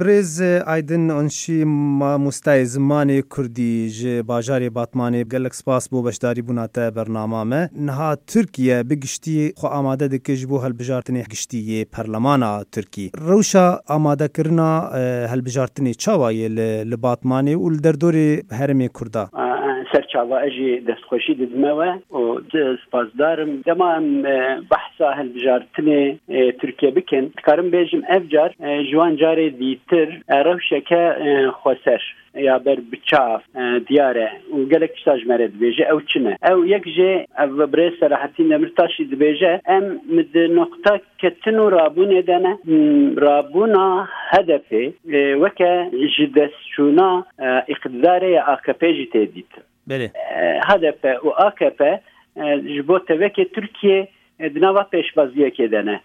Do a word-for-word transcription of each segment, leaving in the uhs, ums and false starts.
Birêz Aydin Onşî, mamostayê zimanê kurdî ji bajarê Batmanê, gelek spas bo beşdarîbûna te bernama me. Niha Tirkiye bi giştî xwe amade dike ji bo hilbijartinê giştî yê perlemana Tirkî. Rewşa amadekirina, e, hilbijartinê çawa ye li, li Batmanê û li derdorê herêmê Kurda? Serçava ez jî destxweşî didime we û spasdar im. Dema em, e, behsa hilbijartinê, e, Tirkiye bikin, dikarim bêjim ev car, e, ji wan carê dîtir, e, rewşeke, e, xweser ya ber bi çav, e, diyar e û gelek tişta ji me re dibêje, ew çi ne? Ew yek jê, ev birêz Selahattin Demirtaş jî dibêje, em di noqta ketin û rabûnê de ne. Hmm, rabûna H D P, e, weke ji destçûna, e, îqtidarê ya A K P jî tê dîtin. Belê. E, H D P û A K P, e, ji bo tevekê Tirkiye, e, di nava pêşbaziyekê de ne.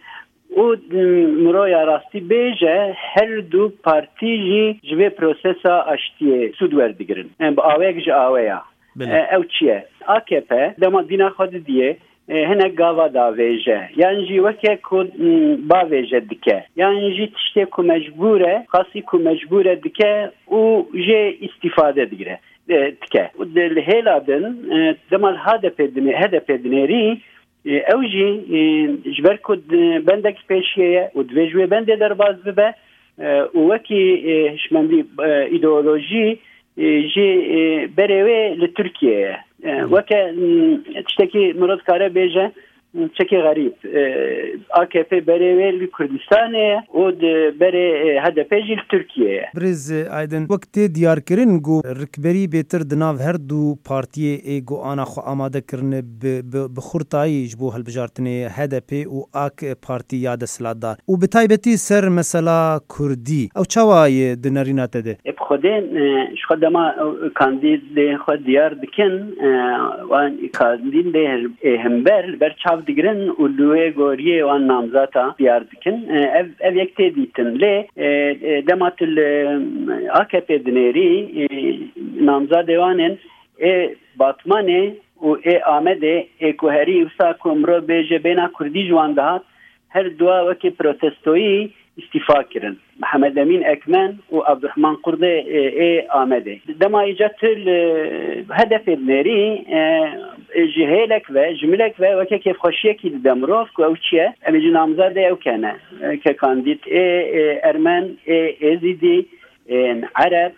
Û, m, miroya rastî bêje, her du partî jî ji vê prosesa aştiyê sûd werdigirin. E, bi awayek ji aweya. Belê. E, ew çi ye? A K P dema dîna xwe didiyê, e, hinek gava davêje. Yan jî weke ku, m, bavêje dike. Yan jî tiştê ku mecbûr e, qasî ku mecbûr e dike û jê îstîfade digire, e, dike. Û di, li hêla din, e, dema li H D P dinê-, H D P dinêrî, e, ew jî, e, ji ber ku di, bendek pêşiye ye û divê ji wê bendê derbas bibe, e, û wekî, e, hişmendî, e, îdeolojî, e, jî, e, berê wê li Tirkiye ye. E, Hı. Weke, m, tiştekî mirov dikare bêje, m, çekê xerîb. E, A K P berê wê li Kurdistanê ye û di berê, e, H D P jî li Tirkiye ye. Birêz Aydin, wek tê diyarkirin ku rikberî bêtir di nav her du partiyê ê ku ana xwe amade kirine bi, bi, bi xurtayî ji bo hilbijartinê H D P û A K Partî ya desthilatdar û bi taybetî ser mesela Kurdî. Ew çawa ye di nerîna te de? Ê, bi Xwedê, e, ji xwe dema, e, kandîdê xwe diyar dikin, e, wan kandîdê, e, hember li ber çav digirin û li wê goriyê wan namzata diyar dikin. E, ev, ev yek tê dîtin. Lê, e, e, dema tu li, e, A K P dinêrî, e, namzadê wan ên ê Batmanê û ê Amedê, ê ku herî wisa ku mirov bêje bêhna Kurdî ji wan dihat, her dua wekî protestoyî îstîfa kirin. Mihemed Emîn Ekmen û Abdurrahman Kurdê, e, ê Amedê. Dema îca tu li H D P dinêrî, e, ji hêlek ve, ji milek ve weke kêfxweşiyekî dide mirov ku ew çi ye? Em ê ji namzadê ew kene, e, ke kandîd ê, e, Ermen, ê Êzîdî, ên Ereb,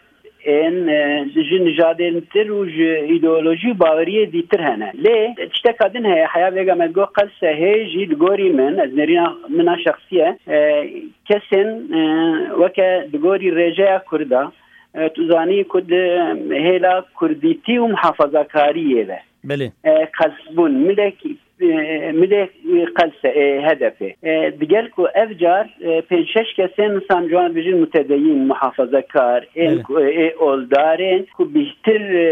ên, e, ji nijadên tir û ji îdeolojî û baweriyê dîtir hene. Lê tişteka din heye, heya vêga me digot qelse hê jî li gorî min, ez nêrîna min a şexsî ye, e, kesên, e, weke di gorî rêjeya Kurda, e, tu zanî ku di hêla kurdîtî û muhafazakariyê ve, Belê. e, qels bûn. Milek, e, milê, e, qelse, e, H D P. E, digel ku ev car, e, pênc şeş kesên, insan ciwan bijin mutedeyîn, muhafazekar, ên Belê. ku, e, ê oldarên ku bihtir, e,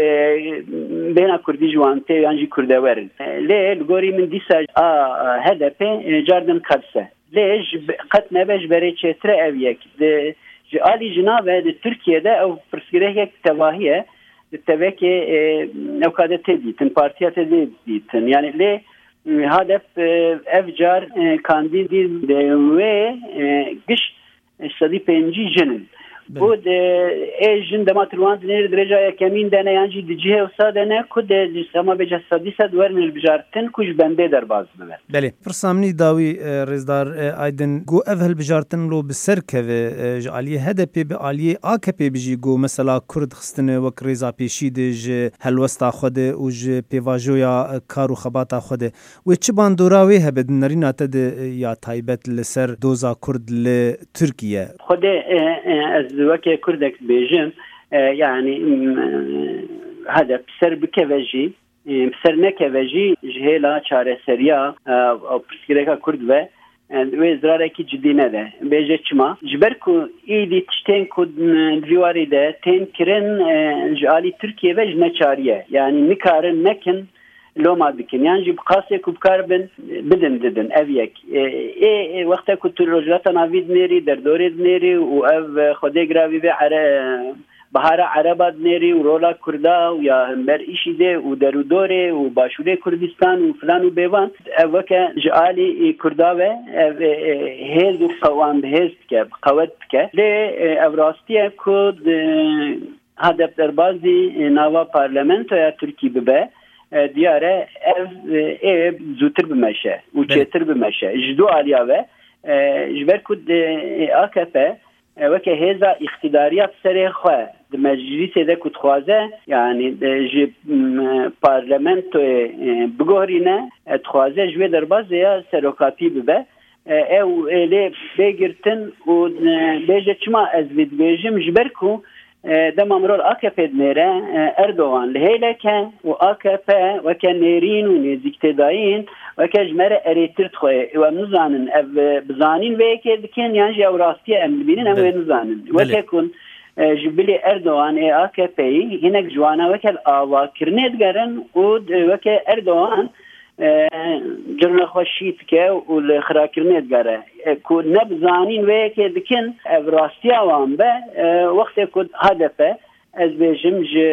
bêhna Kurdî ji wan tê yan jî Kurdewer in. E, lê li gorî min dîsa a, a, H D P, e, car din qelse. Lê ji be-, qet nebe ji berê çêtir e ev yek. Di, ji alî jina ve di Tirkiye de ew pirsgirêkek tevahî ye. Di tevekê, e, ewka de tê dîtin, partiya tê dê dîtin. Yani lê, e, H D P, e, ev car, e, kandîdî de wê, e, giş sedî pêncî jin in. Belê. Û de, ê jin dema tu li wan dinêrî di rêja yekemîn de ne yan jî di cihê wisa de ne ku de ji sema bêje sedî sed werin hilbijartin ku ji bendê derbas bibe. Belê. Pirsa min î dawî, e, rêzdar, e, Aydin, ku ev hilbijartin lo bi ser keve, e, ji aliyê H D P bi aliyê A K P bijî ku mesela Kurd xistine wek rêza pêşî de ji helwesta xwe de û ji pêvajoya, e, kar û xebata xwe de. Wê çi bandora wê hebe di nerîna te de, e, ya taybet li ser doza Kurd li Tirkiye? Xwedê, e, e, ez weke Kurdek dibêjim, e, yani, m, e, H D P ser bikeve jî, e, ser nekeve jî ji hêla çareseriya, e, pirsgirêka Kurd ve, e, wê zirarekî cidî nede. Bêje çima? Ji ber ku êdî tiştên ku, e, di vî warî de tên kirin, e, ji alî Tirkiye ve ji neçarî ye. Yani nikarin nekin, loma dikin. Yan jî bi qasê ku bikaribin, bidin didin. Ev yek. E, ê, ê, wexta ku tu Rojhilata Navî dinêrî, derdorê dinêrî û ev, e, Xwedê giravî vê ere-, Bihara Ereba dinêrî û rola Kurda û ya hember îşî dê û derûdorê û Başûrê Kurdistan û filan û bêvan, ev weke ji alî, e, Kurda ve, ev, e, e, hêz û qewan bi hêz dike, bi qewet dike. Lê, e, ev rastiye ku di hadef derbazî, e, nava parlamentoya Tirkî bibe, e, diyar e ev, e, ê zûtir bimeşe û Belê. çêtir bimeşe. Ji du aliya ve, e, ji ber ku di, e, A K P, e, weke hêza îqtîdariya bi serê xwe di meclîsê de ku dixwaze, yanî, e, ji, m, parlamentoyê, e, bigohrîne, e, dixwaze ji wê derbazê ya serokatî bibe. E, ew ê lê bê girtin û, e, bêje çima ez vê dibêjim, ji ber ku, e, dema mirov A K P dinêre, e, Erdogan li hêlek e û A K P weke nêrîn û nêzîktêdayîn, weke ji me re erêtir dixwe. Ew em nizanin, ev, e, bi zanîn vê yekê dikin yan jî ew rastiye em dibînin, em Belê. wê nizanin. Belê. Weke ku, e, ji bilî Erdogan ê A K P'yî hinek ji wana weke li avakirinê digerin û, e, weke Erdogan, e, cirna xwe şî dike û li xirakirinê digere. E, ku ne bi zanîn vê yekê dikin, ev rastiya wan be, e, wextê ku H D P, ez bêjim, ji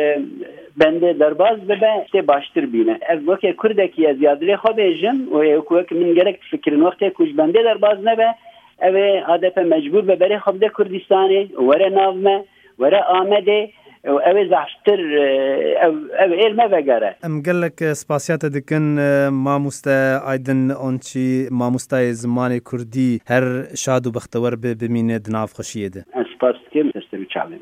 bendê derbas bibe, tê baştir bîne. Ev weke Kurdekî ez ya dilê xwe bêjim û ê ku wek min gerek difikirin, wextê ku ji bendê derbas nebe, ew ê H D P mecbûr be berê xwe bide Kurdistanê, were nav me, were Amedê, û ew ê zehftir, e, ev, ev ê li me vegere. Em gelek spasiya te dikin, e, mamoste Aydin Onçî, mamostayê zimanê Kurdî, her şad û bextewer bi, bimîne di nav xweşiyê de. Ez spas dikim, destê wî çavê min.